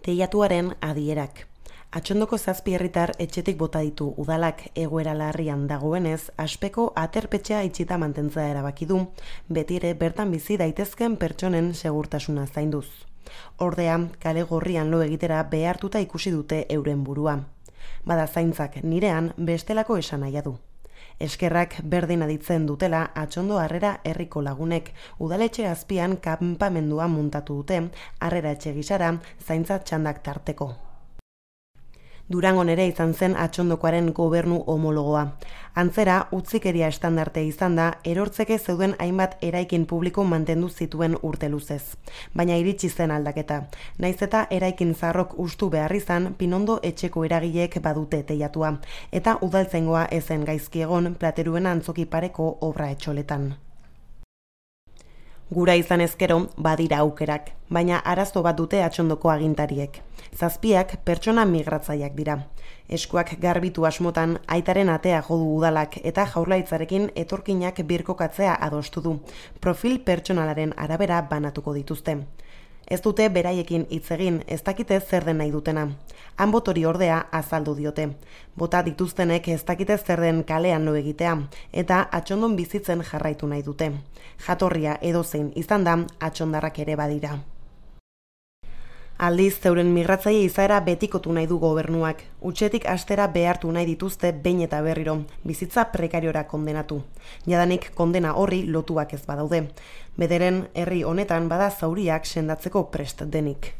Teilatuaren adierak. Atxondoko 7 herritar etxetik bota ditu udalak egoera larrian dagoenez, aspeko aterpetxea itxita mantentzea erabaki du, beti ere bertan bizi daitezken pertsonen segurtasuna zainduz. Ordea, kale gorrian lo egitera behartuta ikusi dute euren burua. Bada zaintzak nirean bestelako esanahia du. Eskerrak berdin aditzen dutela Atxondo Harrera herriko lagunek udaletxe azpian kanpamendua muntatu dute Harrera etxe gisara zaintza txandak tarteko. Durangon ere izan zen Atxondokoaren gobernu homologoa. Antzera, utzikeria estandarte izan da, erortzeke zeuden hainbat eraikin publiko mantendu zituen urte luzez. Baina iritsi zen aldaketa. Naiz eta eraikin zaharrok hustu behar izan, Pinondo etxeko eragileek badute teilatua. Eta udaltzaingoa ezen gaizki egon Plateruen antzoki pareko obra etxoletan. Gura izan ezkero, badira aukerak, baina arazo bat dute Atxondoko agintariek. 7 pertsona migratzaileak dira. Eskuak garbitu asmotan aitaren atea jo du udalak eta Jaurlaritzarekin etorkinak birkokatzea adostu du. Profil pertsonalaren arabera banatuko dituzte. Ez dute beraiekin hitz egin, ez dakite zer den nahi dutena. Han botori ordea azaldu diote. Bota dituztenek ez dakite zer den kalean lo egitea, eta Atxondon bizitzen jarraitu nahi dute. Jatorria edozein izan da, atxondarrak ere badira. Aldiz, zeuren migratzaile izaera betikotu nahi du gobernuak. Utxetik astera behartu nahi dituzte behin eta berriro, bizitza prekariora kondenatu. Jadanik kondena horri lotuak ez badaude. Bederen herri honetan bada zauriak sendatzeko prest denik.